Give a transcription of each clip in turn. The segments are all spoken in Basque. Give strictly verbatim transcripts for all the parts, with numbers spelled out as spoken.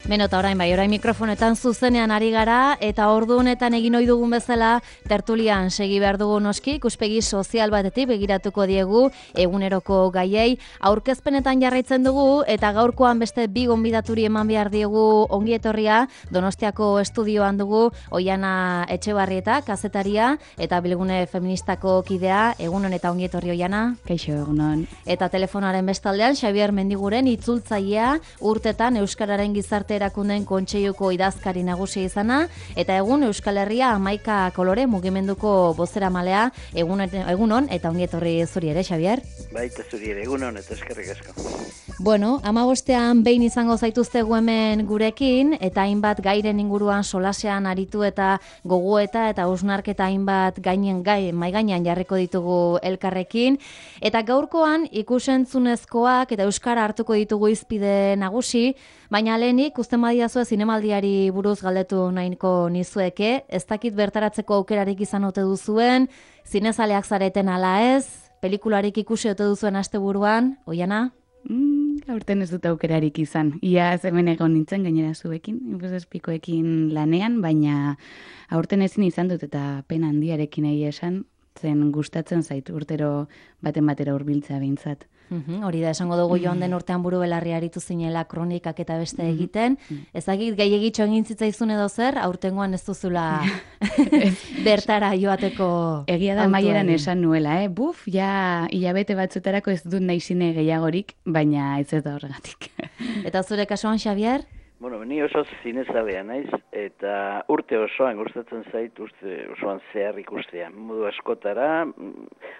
Beno, eta orain bai, orain mikrofonetan zuzenean ari gara, eta ordu honetan egin ohi dugun bezala, tertulian segi behar dugu noski, ikuspegi sozial batetik begiratuko diegu eguneroko gaiei, aurkezpenetan jarraitzen dugu, eta gaurkoan beste bi gonbidaturi eman behar diegu ongi etorria, Donostiako estudioan dugu, Oiana Etxebarrieta, kazetaria, eta Bilgune Feministako kidea, egunon eta ongi etorri Oiana. Kaixo, egunon. Eta telefonaren bestaldean, Xabier Mendiguren itzultzailea, urtetan Euskararen gizarte erakunden kontseiluko idazkari nagusia izana, eta egun Euskal Herria hamaika kolore mugimenduko bozeramalea, egun, egunon, eta ongi etorri zuri ere, Xabier? Baita zuri ere, egunon, eta eskerrik asko. Bueno, hamabostean behin izango zaituztegu hemen gurekin, eta hainbat gairen inguruan solasean aritu eta gogoeta eta hausnarketa hainbat gainen gai, mai gainean jarriko ditugu elkarrekin, eta gaurkoan ikusentzunezkoak eta euskara hartuko ditugu hizpide nagusi, baina lehenik usten badiazue zinemaldiari buruz galdetu nahiko nizueke, ez dakit bertaratzeko aukerarik izan ote duzuen, zinezaleak zareten ala ez, pelikularik ikusi ote duzuen asteburuan, Oiana? Mm, aurten ez dut aukerarik izan. Ia hemen egon nintzen gainera zuekin, inbuzespikoekin lanean, baina aurten ezin izan dut eta pena handiarekin egia esan, zen gustatzen zait urtero baten batera hurbiltzea behintzat. Uhum, hori da, esango dugu joan den urtean buru belarri aritu zinela kronikak eta beste egiten. Ezagik gehiagitxo egin zitzaizun edo zer, aurtengoan ez duzula bertara joateko. Egia da maieran esan nuela, eh? Buf, ja hilabete batzuetarako ez dut nahi zine gehiagorik, baina ez ez da horregatik. Eta zure kasuan, Xabier? Bueno, ni oso zinezalea naiz, eta urte osoan gustatzen zait, urte osoan zehar ikustea. Modu askotara,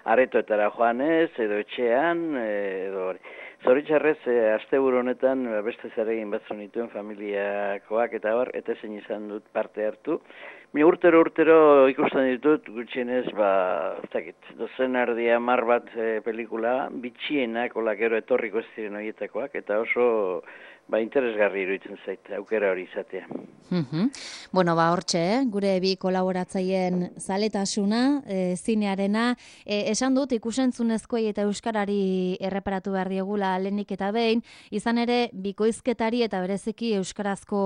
aretoetara joanez, edo etxean, edo hori. Zoritxarrez, asteburu honetan beste zeregin batzu nituen familiakoak eta hor, eta ezin izan dut parte hartu. Mi urtero urtero ikusten ditut, gutxienez, ba, ez dakit, dozen erdi hamar bat e, pelikula, bitxienak, ola gero etorriko ez ziren horietakoak, eta oso ba, interesgarri iruditzen zait, aukera hori izatea. Mm-hmm. Bueno, ba, hortxe, eh? Gure bi kolaboratzaien zaletasuna, e, zinearena, e, esan dut ikusentzunezkoei eta euskarari erreparatu behar diegula lehenik eta behin, izan ere bikoizketari eta bereziki euskarazko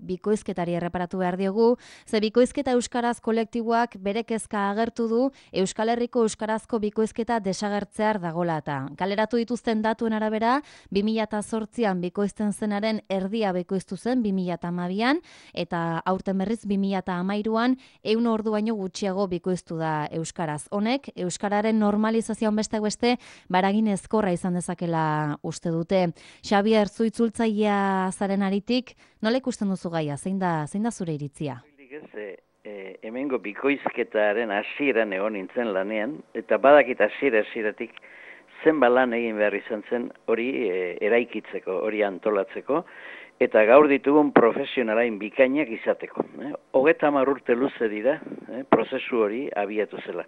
bikoizketari erreparatu behar diegu, ze bikoizketa euskaraz kolektiboak bere kezka agertu du Euskal Herriko euskarazko bikoizketa desagertzear dagola eta. Kaleratu dituzten datuen arabera, bi mila zortzian bikoizten zenaren erdia bikoiztu zen bi mila hamabian, eta aurten berriz bi mila hamairuan ehun ordu baino gutxiago bikoiztu da euskaraz. Honek, euskararen normalizazioan beste beste baragin ezkorra izan dezakela uste dute. Xabier, zu itzultzailea zaren aritik, nola ikusten duzu gaia? Zein da, zein da zure iritzia? E, e, hemengo bikoizketaren hasieran egon nintzen lanean, eta badakit hasiera hasieratik zenba lan egin behar izan zen hori e, eraikitzeko, hori antolatzeko, eta gaur ditugun profesionalain bikainak izateko. Eh? Hogeta hamar urte luze dira, eh? prozesu hori abiatu zela.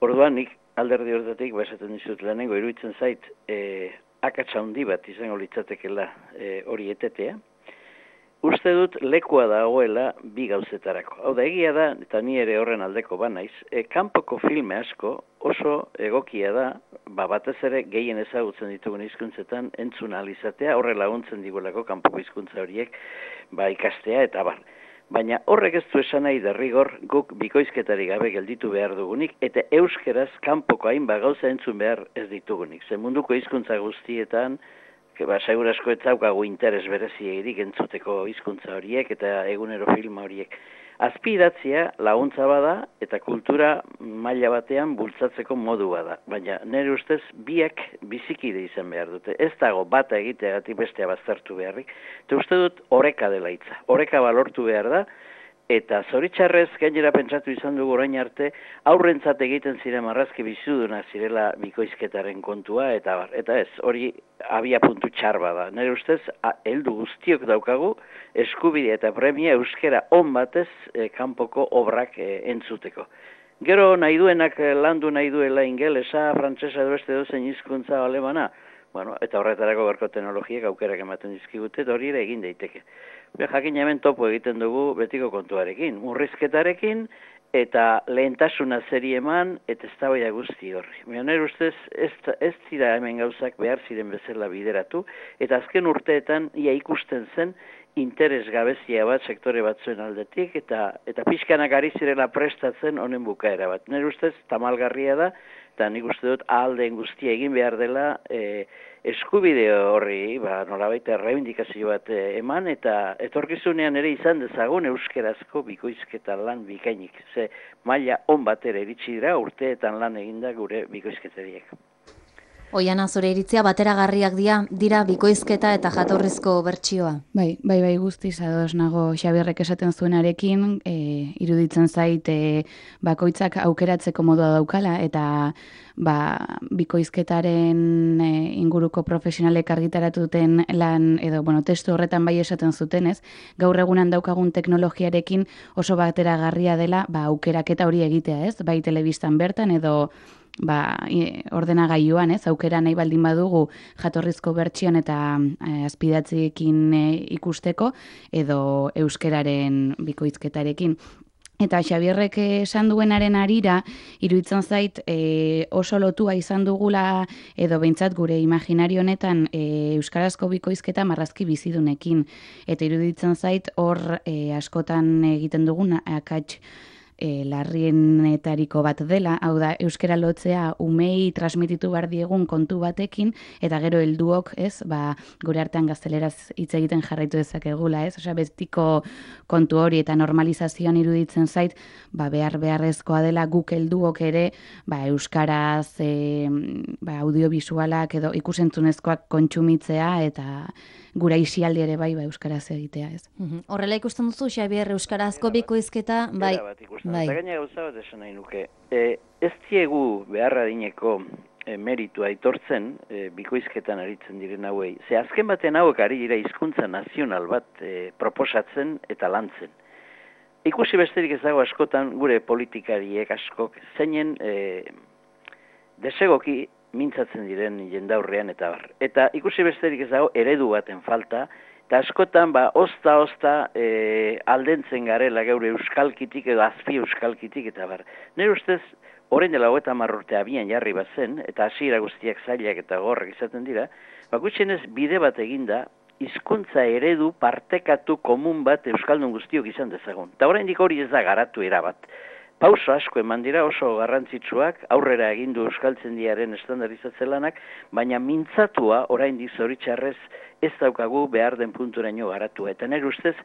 Orduan, nik alderdi horretatik, baesaten dizut lehenengo, iruditzen zait, e, akatsa handi bat izango litzatekela e, hori etetea. Uste dut lekua dagoela bi gauzetarako. Hau da, egia da, eta ni ere horren aldeko banaiz, e, kanpoko filme asko oso egokia da, ba, batez ere gehien ezagutzen ditugun hizkuntzetan entzun ahal izatea, horre laguntzen digulako kanpoko hizkuntza horiek ba, ikastea eta bar. Baina horrek ez du esan nahi derrigor guk bikoizketari gabe gelditu behar dugunik, eta euskeraz kanpoko hainbat gauza entzun behar ez ditugunik. Ze munduko hizkuntza guztietan, ba, segur asko ez daukagu interes bereziegirik entzuteko hizkuntza horiek eta egunero filma horiek. Azpidatzia laguntza bada eta kultura maila batean bultzatzeko modu bada. Baina nire ustez biak bizikide izan behar dute. Ez dago bata egiteagatik bestea baztertu beharrik. Eta uste dut oreka dela hitza. Oreka balortu behar da. Eta zoritxarrez gainera pentsatu izan dugu orain arte, aurrentzat egiten ziren marrazki bizuduna zirela bikoizketaren kontua, eta bar. Eta ez, hori abia puntu txar bada. Nire ustez, heldu guztiok daukagu, eskubidea eta premia euskera on batez e, kanpoko obrak e, entzuteko. Gero nahi duenak landu nahi duela ingelesa, frantsesa edo beste dozen hizkuntza alemana, bueno, eta horretarako berko teknologiak aukerak ematen dizkigute, eta hori ere egin daiteke. Be, jakin hemen topo egiten dugu betiko kontuarekin, murrizketarekin, eta lehentasuna zeri eman, eta eztabaida guzti horri. Baina nire ustez, ez, ez dira hemen gauzak behar ziren bezala bideratu, eta azken urteetan ia ikusten zen, interes gabezia bat sektore batzuen aldetik, eta eta pixkanak ari zirela prestatzen honen bukaera bat. Nire ustez, tamalgarria da, eta nik uste dut ahaldeen guztia egin behar dela e, eskubide horri, ba, nolabait errebindikazio bat e, eman, eta etorkizunean ere izan dezagun euskerazko bikoizketa lan bikainik. Ze maila on batera iritsi dira urteetan lan eginda gure bikoizketariek. Oiana, zure iritzia bateragarriak dira, dira bikoizketa eta jatorrizko bertsioa. Bai, bai, bai guztiz ados nago Xabierrek esaten zuenarekin, e, iruditzen zait e, bakoitzak aukeratzeko modua daukala, eta ba, bikoizketaren e, inguruko profesionalek argitaratuten lan, edo bueno, testu horretan bai esaten zutenez, gaur egunan daukagun teknologiarekin oso bateragarria dela ba, aukeraketa hori egitea, ez? Bai telebistan bertan edo ba, ordenagailuan, ez, aukera nahi baldin badugu jatorrizko bertsioan eta e, azpidatziekin e, ikusteko, edo euskeraren bikoizketarekin. Eta Xabierrek esan duenaren arira, iruditzen zait e, oso lotua izan dugula, edo behintzat gure imaginario honetan e, euskarazko bikoizketa marrazki bizidunekin. Eta iruditzen zait hor e, askotan egiten dugun akats E, larrienetariko bat dela, hau da, euskara lotzea umei transmititu behar diegun kontu batekin, eta gero helduok, ez, ba, gure artean gazteleraz hitz egiten jarraitu dezakegula, ez, osea, bestiko kontu hori eta normalizazioan iruditzen zait, ba, behar beharrezkoa dela guk helduok ere, ba, euskaraz, e, ba, audiovisualak edo ikusentzunezkoak kontsumitzea, eta gura isialdi ere bai, ba, euskaraz egitea, ez. Mm-hmm. Horrela ikusten duzu, Xabier, euskarazko bikoizketa, bai. Bai. Eta gaina gauza bat esan nahi nuke. E, ez diegu beharra dineko e, meritua aitortzen e, bikoizketan aritzen diren hauei. Ze azken baten hauek ari dira hizkuntza nazional bat e, proposatzen eta lantzen. Ikusi besterik ez dago askotan gure politikariek askok zeinen e, desegoki mintzatzen diren jendaurrean eta bar. Eta ikusi besterik ez dago eredu baten falta, eta askotan, ba, osta-osta e, aldentzen garela geure euskalkitik edo azpi euskalkitik eta bar. Nire ustez, orain dela hogeita hamar urte abian jarri bazen, eta hasiera guztiak zailak eta gorrak izaten dira, ba, gutxienez bide bat eginda, hizkuntza eredu partekatu komun bat euskaldun guztiok izan dezagun. Eta oraindik hori ez da garatu erabat. Pauso asko eman dira oso garrantzitsuak, aurrera egindu euskaltzendiaren estandarizatze lanak, baina mintzatua oraindik zoritxarrez ez daukagu behar den punturaino garatua. Eta nire ustez,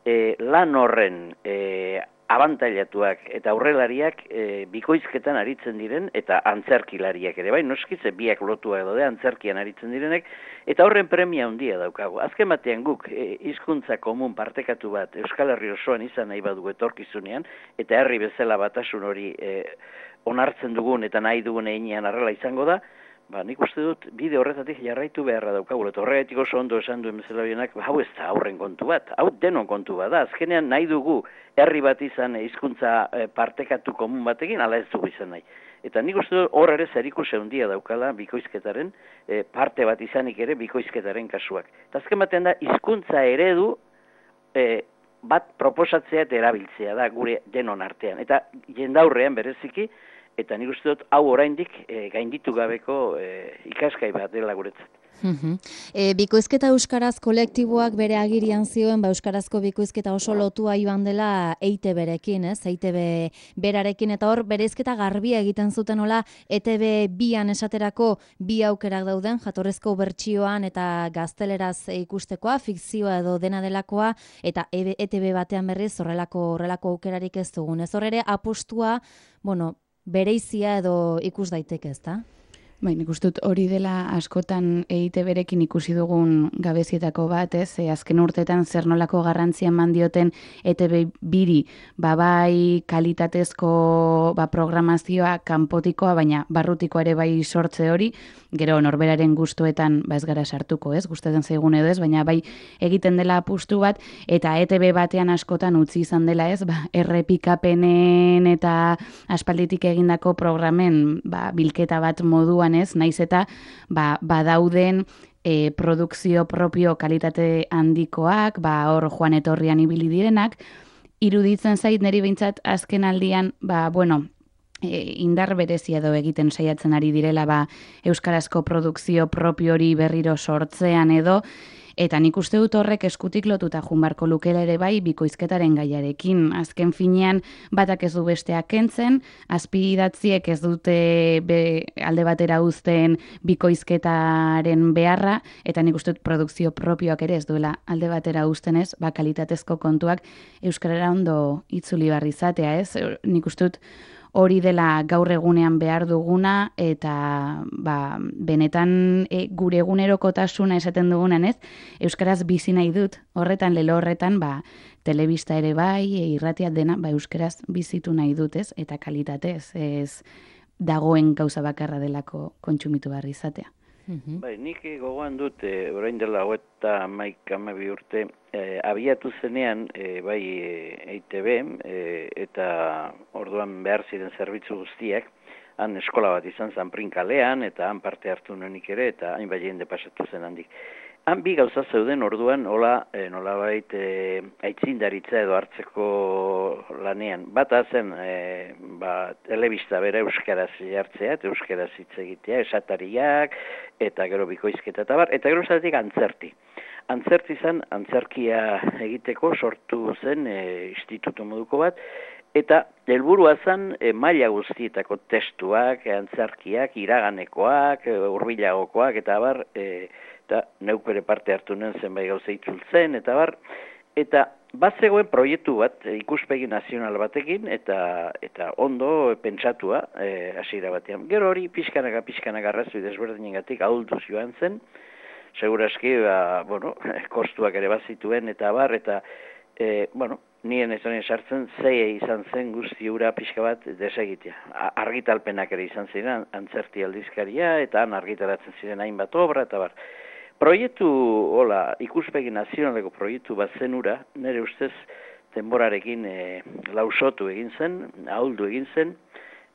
e, lan horren e, abantailatuak eta aurrelariak e, bikoizketan aritzen diren, eta antzerkilariak ere, bai, noskitze biak lotua edo de antzerkian aritzen direnek, eta horren premia handia daukagu. Azken batean guk e, hizkuntza komun partekatu bat Euskal Herri osoan izan nahi badu etorkizunean, eta herri bezala batasun hori e, onartzen dugun eta nahi dugun einean arrela izango da, ba, nik uste dut bide horretatik jarraitu beharra daukagu. Eta horregatik oso ondo esan duen bezala bienak, hau ez da aurren kontu bat, hau denon kontu bat da. Azkenean nahi dugu herri bat izan hizkuntza e, partekatu komun batekin, ala ez dugu izan nahi. Eta nik uste dut hor ere zerikusi handia daukala bikoizketaren, e, parte bat izanik ere bikoizketaren kasuak. Eta azken batean da, hizkuntza eredu e, bat proposatzea eta erabiltzea da gure denon artean. Eta jendaurrean bereziki, eta nik uste dut hau oraindik e, gainditu gabeko e, ikasgai bat dela guretzat. Uh-huh. E, bikoizketa euskaraz kolektiboak bere agirian zioen, ba, euskarazko bikoizketa oso lotua joan dela E I Te Berekin, ez? E I Te Be berarekin, eta hor bereizketa garbia egiten zuten hola E Te Be bian esaterako bi aukerak dauden, jatorrezko bertsioan eta gazteleraz ikustekoa, fikzioa edo dena delakoa, eta E Te Be batean berriz horrelako horrelako aukerarik ez dugun. Ez hor ere apostua, bueno, bereizia edo ikus daiteke, ezta? Bai, nik uste dut hori dela askotan E I Te Berekin ikusi dugun gabezietako bat, ez? E, azken urtetan zer nolako garrantzia eman dioten E Te Be biri, ba bai kalitatezko ba, programazioa kanpotikoa, baina barrutikoa ere bai sortze hori, gero norberaren gustuetan ba ez gara sartuko, ez? Gustatzen zaigun edo ez, baina bai egiten dela apustu bat, eta E Te Be batean askotan utzi izan dela, ez? Ba, errepikapenen eta aspalditik egindako programen ba, bilketa bat moduan, ez, naiz eta ba, badauden e, produkzio propio kalitate handikoak, ba, hor joan etorrian ibili direnak, iruditzen zait niri behintzat azken aldian, ba, bueno, e, indar berezia edo egiten saiatzen ari direla ba, euskarazko produkzio propio hori berriro sortzean edo, Eta nik uste dut horrek eskutik lotuta junbarko lukela ere bai bikoizketaren gaiarekin. Azken finean batak ez du besteak kentzen, azpi idatziek ez dute be, alde batera uzten bikoizketaren beharra, eta nik uste dut produkzio propioak ere ez duela alde batera uzten ez, ba, kalitatezko kontuak euskarara ondo itzuli barri izatea, ez? Nik uste dut hori dela gaur egunean behar duguna, eta ba, benetan e, gure egunerokotasuna esaten dugunan, ez? Euskaraz bizi nahi dut, horretan, lelo horretan, ba, telebista ere bai, e, irratia dena, ba, euskaraz bizitu nahi dut, ez? Eta kalitatez, ez dagoen gauza bakarra delako kontsumitu barri izatea. Mm-hmm. Bai, nik gogoan dut, e, orain dela hogeita hamaika hamabi urte, e, abiatu zenean, e, bai E I Te Be, e, eta orduan behar ziren zerbitzu guztiak, han eskola bat izan zen Prinkalean, eta han parte hartu nuenik ere, eta hainbat jende pasatu zen handik. Han bi gauza zeuden orduan, hola, e, nolabait, e, aitzindaritza edo hartzeko lanean. Bata zen, e, ba, telebista bera euskaraz jartzea, eta euskaraz hitz egitea, esatariak, eta gero bikoizketa eta bar, eta gero zatik antzerti. Antzerti zen, antzerkia egiteko sortu zen e, institutu moduko bat, eta helburua zen e, maila guztietako testuak, antzerkiak, iraganekoak, e, hurbilagokoak, eta bar, e, eta neuk bere parte hartu nuen zenbait gauza itzultzen, eta bar, eta bat zegoen proiektu bat, ikuspegi nazional batekin, eta eta ondo pentsatua e, hasiera batean. Gero hori pixkanaka, pixkanaka arrazoi desberdinengatik ahulduz joan zen, seguraski, ba, bueno, kostuak ere bazituen, eta bar, eta, e, bueno, nien ez honen sartzen, zei izan zen guzti hura pixka bat desegitea. Argitalpenak ere izan ziren, antzerti aldizkaria, eta han argitaratzen ziren hainbat obra, eta bar. Proiektu, hola, ikuspegi nazionaleko proiektu bat zenura, nire ustez denborarekin e, lausotu egin zen, ahuldu egin zen,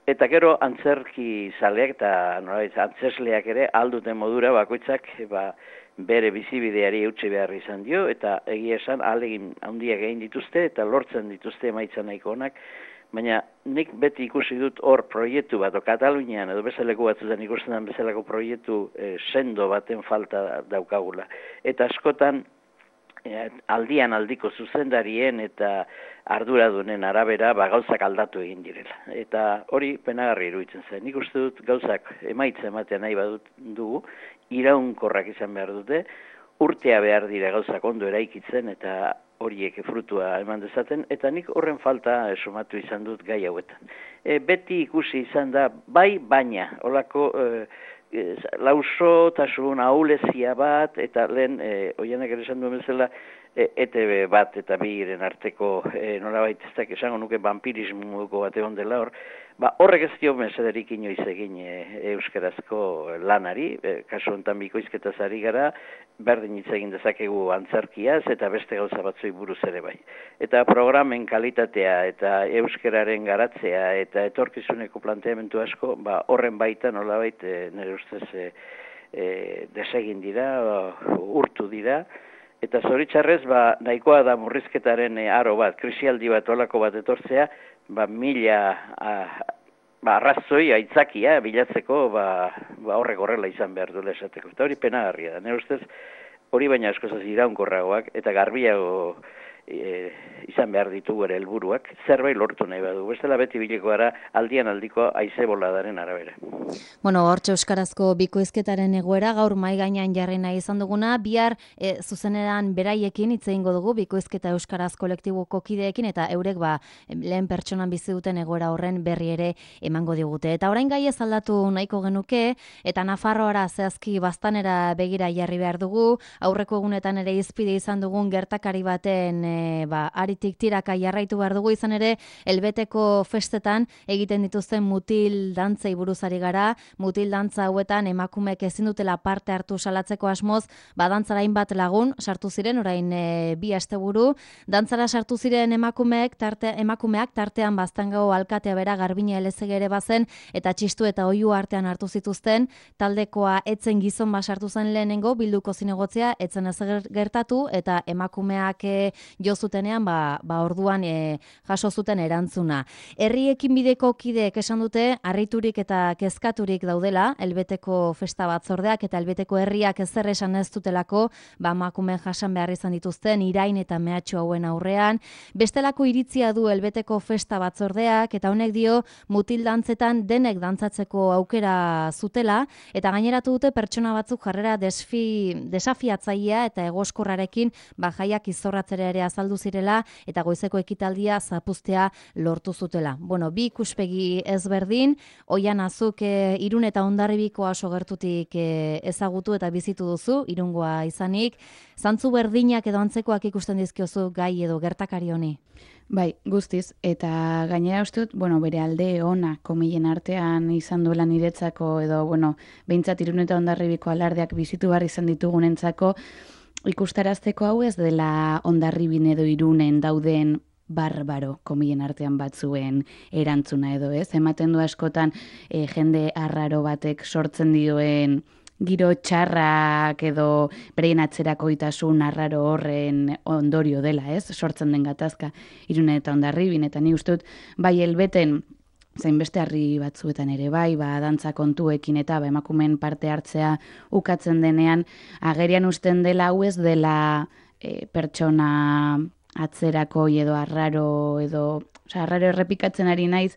eta gero antzerki zaleak eta nolabait antzesleak ere alduten modura bakoitzak ba, bere bizibideari eutsi behar izan dio, eta egia esan ahalegin handiak egin dituzte, eta lortzen dituzte emaitza nahiko onak, baina nik beti ikusi dut hor proiektu bat, o Katalunian edo bezaleko batzutan ikusten den bezalako proiektu e, sendo baten falta daukagula. Eta askotan e, aldian aldiko zuzendarien eta arduradunen arabera ba, gauzak aldatu egin direla. Eta hori penagarri iruditzen zen. Nik uste dut gauzak emaitza ematea nahi badut dugu, iraunkorrak izan behar dute, urtea behar dira gauzak ondo eraikitzen eta horiek frutua eman dezaten, eta nik horren falta somatu izan dut gai hauetan. E, beti ikusi izan da, bai baina, holako e, e, lausotasun ahulezia bat, eta lehen, e, oianak ere esan duen bezala, e, E Te Be bat eta biren arteko e, nolabait ez dakit esango nuke vampirismuko bat egon dela hor, ba, horrek ez dio mesederik inoiz egin e, euskarazko lanari, e, kasu honetan bikoizketaz ari gara, berdin hitz egin dezakegu antzerkiaz eta beste gauza batzui buruz ere bai. Eta programen kalitatea eta euskararen garatzea eta etorkizuneko planteamendu asko, ba, horren baita nolabait e, nire ustez e, e, desegin dira, urtu dira, eta zoritxarrez ba, nahikoa da murrizketaren e, aro bat, krisialdi bat olako bat etortzea, ba, mila a, ba, arrazoi aitzakia bilatzeko ba, ba, horrek horrela izan behar duela esateko. Eta hori penagarria da. Nire ustez hori baina askozaz iraunkorragoak eta garbiago e, izan behar ditugu ere helburuak, zerbait lortu nahi badu. Bestela beti bileko gara aldian aldiko haize boladaren arabera. Bueno, hortxe euskarazko bikoizketaren egoera gaur mai gainean jarri nahi izan duguna, bihar e, zuzeneran beraiekin hitz egingo dugu bikoizketa euskaraz kolektibuko kideekin eta eurek ba lehen pertsonan bizi duten egoera horren berri ere emango digute. Eta orain gai ez aldatu nahiko genuke eta Nafarroara zehazki Baztanera begira jarri behar dugu. Aurreko egunetan ere hizpide izan dugun gertakari baten e, ba, aritik tiraka jarraitu behar dugu, izan ere Elbeteko festetan egiten dituzten mutil dantzei buruzari gara. Mutil dantza hauetan emakumeek ezin dutela parte hartu salatzeko asmoz, ba dantzara hainbat lagun sartu ziren orain e, bi asteburu. Dantzara sartu ziren emakumeek tarte, emakumeak tartean Baztangao alkatea bera Garbina Elezege ere bazen eta txistu eta oihu artean hartu zituzten. Taldekoa etzen gizon bat sartu zen lehenengo bilduko zinegotzea, etzen ez gertatu eta emakumeak e, jo zutenean, ba, ba orduan e, jaso zuten erantzuna. Herri ekinbideko kideek esan dute, harriturik eta kezkaturik daudela, Elbeteko festa batzordeak eta Elbeteko herriak ezer esan ez dutelako, ba emakumeen jasan behar izan dituzten irain eta mehatxu hauen aurrean. Bestelako iritzia du Elbeteko festa batzordeak eta honek dio mutil dantzetan denek dantzatzeko aukera zutela eta gaineratu dute pertsona batzuk jarrera desfi, desafiatzailea eta egoskorrarekin ba jaiak izorratzera ere azaldu zirela eta goizeko ekitaldia zapuztea lortu zutela. Bueno, bi ikuspegi ezberdin, Oian azuk e, Irun eta Hondarribiko oso gertutik e, ezagutu eta bizitu duzu, Irungoa izanik, zantzu berdinak edo antzekoak ikusten dizkiozu gai edo gertakari honi? Bai, guztiz, eta gainera uste dut, bueno, bere alde ona komilen artean izan duela niretzako, edo, bueno, behintzat Irun eta Hondarribiko alardeak bizitu behar izan ditugunentzako, ikustarazteko hau ez dela Hondarribin edo Irunen dauden barbaro komilen artean batzuen erantzuna edo ez. Ematen du askotan e, jende arraro batek sortzen dioen giro txarrak edo bereien atzerakoitasun arraro horren ondorio dela, ez? Sortzen den gatazka Irunen eta Hondarribin, eta ni uste dut bai Elbeten zein beste herri batzuetan ere bai, ba, dantza kontuekin eta ba, emakumeen parte hartzea ukatzen denean, agerian usten dela hau ez dela e, pertsona atzerakoi edo arraro edo, osea, arraro errepikatzen ari naiz,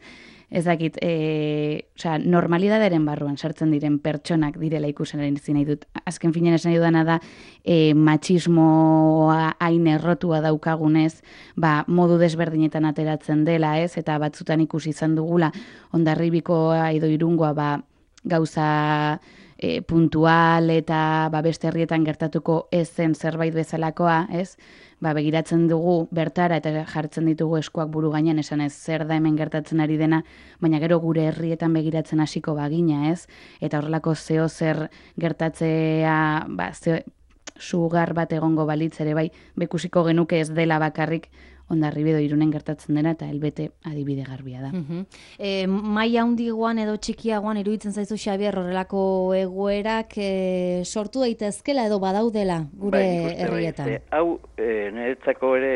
ez dakit, e, osea, normalidadaren barruan sartzen diren pertsonak direla ikusenaren nahi dut. Azken finean esan dudana da, e, matxismoa hain errotua daukagunez, ba, modu desberdinetan ateratzen dela, ez? Eta batzutan ikusi izan dugula, Hondarribikoa edo Irungoa, ba, gauza e, puntual eta ba, beste herrietan gertatuko ez zen zerbait bezalakoa, ez? Ba, begiratzen dugu bertara eta jartzen ditugu eskuak buru gainean esan ez zer da hemen gertatzen ari dena, baina gero gure herrietan begiratzen hasiko bagina, ez? Eta horrelako zeo zer gertatzea, ba, zeo, sugar bat egongo balitz ere bai, bekusiko genuke ez dela bakarrik Hondarribi edo Irunen gertatzen dena eta Elbete adibide garbia da. Uh-huh. E, maila handigoan edo txikiagoan iruditzen zaizu Xabier horrelako egoerak e, sortu daitezkela edo badaudela gure bai, herrietan. Bai, hau e, niretzako ere,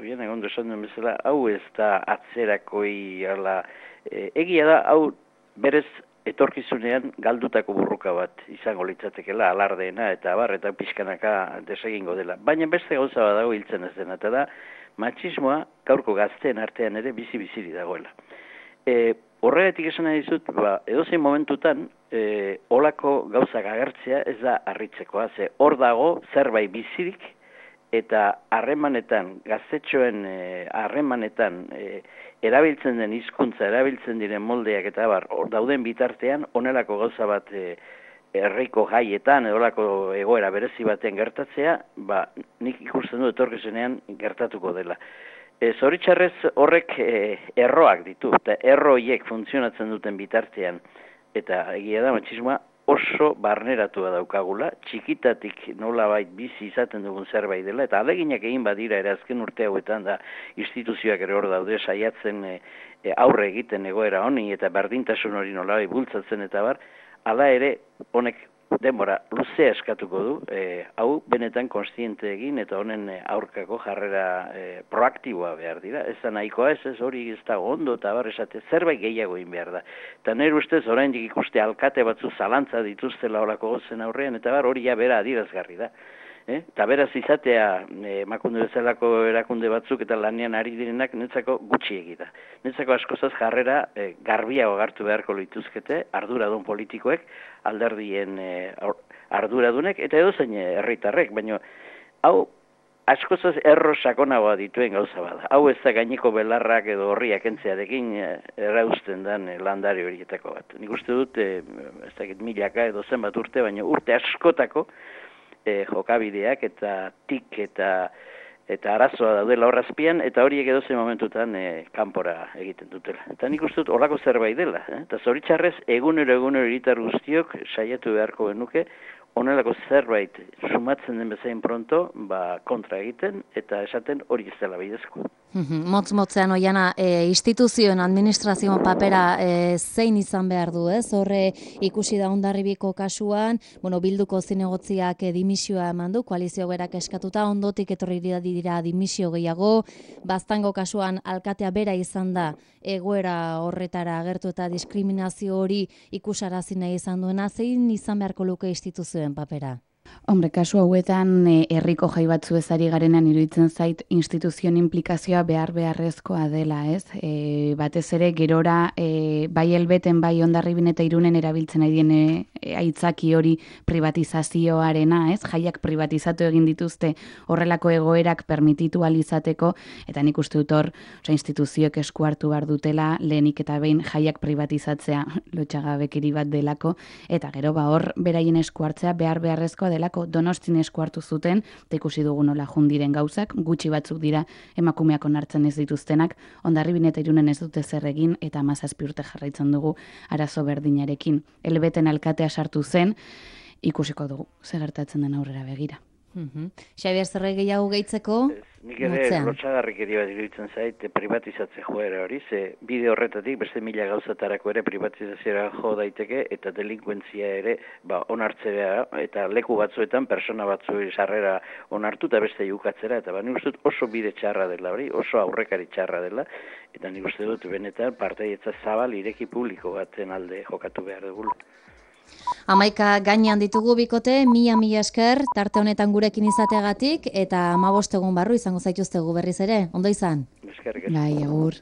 oien egon esan duen bezala, hau ez da atzerakoi ala, e, egia da, hau berez etorkizunean galdutako burruka bat izango litzatekela alardeena eta bar eta pixkanaka desegingo dela. Baina beste gauza bat dago hiltzen ez dena, eta da matxismoa gaurko gazteen artean ere bizi-biziri dagoela. E, horregatik esan nahi dizut, ba, edozein momentutan e, olako gauzak agertzea ez da harritzekoa, ze hor dago zerbait bizirik eta harremanetan, gaztetxoen harremanetan e, erabiltzen den hizkuntza, erabiltzen diren moldeak eta bar, hor dauden bitartean honelako gauza bat e, herriko jaietan edolako egoera berezi batean gertatzea, ba, nik ikusten du etorkizunean gertatuko dela. E, Zoritxarrez horrek e, erroak ditu, eta erroiek funtzionatzen duten bitartean, eta egia da matxismoa oso barneratua daukagula, txikitatik nolabait bizi izaten dugun zerbait dela, eta aleginak egin badira ere azken urte hauetan da instituzioak ere hor daude saiatzen e, e, aurre egiten egoera honi eta berdintasun hori nolabait bultzatzen eta bar, hala ere, honek denbora luzea eskatuko du, e, hau benetan konstiente egin eta honen aurkako jarrera e, proaktiboa behar dira. Ez da nahikoa ez, ez hori ez da ondo eta bar esate zerbait gehiago egin behar da. Eta nire ustez oraindik ikuste alkate batzu zalantza dituztela horako gozen aurrean eta bar hori ja bera adirazgarri da. Eh? Eta beraz izatea eh, emakunde bezalako erakunde batzuk eta lanean ari direnak netzako gutxi egita. Netzako askozaz jarrera eh, garbiago agartu beharko lituzkete arduradun politikoek, alderdien eh, arduradunek eta edozein herritarrek, baina hau askozaz erro sakonagoa dituen gauza bada. Hau ez da gaineko belarrak edo horriak entzearekin eh, errausten den eh, landare horietako bat. Nik uste dut, eh, ez dakit milaka edo zenbat urte, baina urte askotako E, jokabideak eta tik eta eta arazoa daudela horrazpian, eta horiek edozein momentutan e, kanpora egiten dutela. Eta nik uste dut horrako zerbait dela. Eh? Eta zoritxarrez, egunero egunero hiritar guztiok saiatu beharko genuke, honelako zerbait sumatzen den bezain pronto, ba, kontra egiten, eta esaten hori ez dela bidezko. Motz-motzean oiana, e, instituzioen administrazioen papera e, zein izan behar du, ez? Horre ikusi da Hondarribiko kasuan, bueno, Bilduko zinegotziak e, dimisioa eman du, koalizio berak eskatuta, ondotik etorri dira dimisio gehiago, Baztango kasuan alkatea bera izan da, egoera horretara agertu eta diskriminazio hori ikusarazi nahi izan duena, zein izan beharko luke instituzioen papera? Hombre, kasu hauetan e, herriko jai batzu ezari garenan iruditzen zait instituzioen implikazioa behar beharrezkoa dela, ez? E, batez ere gerora e, bai Elbeten bai Hondarribin eta Irunen erabiltzen ari den e, aitzaki hori privatizazioarena, ez? Jaiak privatizatu egin dituzte horrelako egoerak permititu alizateko, eta nik uste dut hor, oza, instituzioek esku hartu behar dutela, lehenik eta behin jaiak privatizatzea lotxagabekeri bat delako, eta gero ba hor beraien esku hartzea behar beharrezkoa delako. Donostin esku hartu zuten, eta ikusi dugu nola jundiren gauzak, gutxi batzuk dira emakumeak onartzen ez dituztenak, Hondarribin eta Irunen ez dute zer egin, eta hamazazpi urte jarraitzen dugu arazo berdinarekin. Elbeten alkatea sartu zen, ikusiko dugu, zer gertatzen den aurrera begira. Mm-hmm. Xabier, zer gehiago gehitzeko? Nik ere lotxagarrik bat iruditzen zait privatizatze joera hori, ze bide horretatik beste mila gauzatarako ere privatizazioa jo daiteke eta delinkuentzia ere ba, onartzea eta leku batzuetan persona batzu sarrera onartu eta beste jukatzera, eta ba, nik uste dut oso bide txarra dela hori, oso aurrekari txarra dela, eta nik uste dut benetan partaietza zabal ireki publiko baten alde jokatu behar dugu. Amaika gainean ditugu bikote, mila mila esker, tarte honetan gurekin izateagatik, eta hamabost egun barru izango zaituztegu berriz ere, ondo izan? Eskerrik asko. Bai, agur.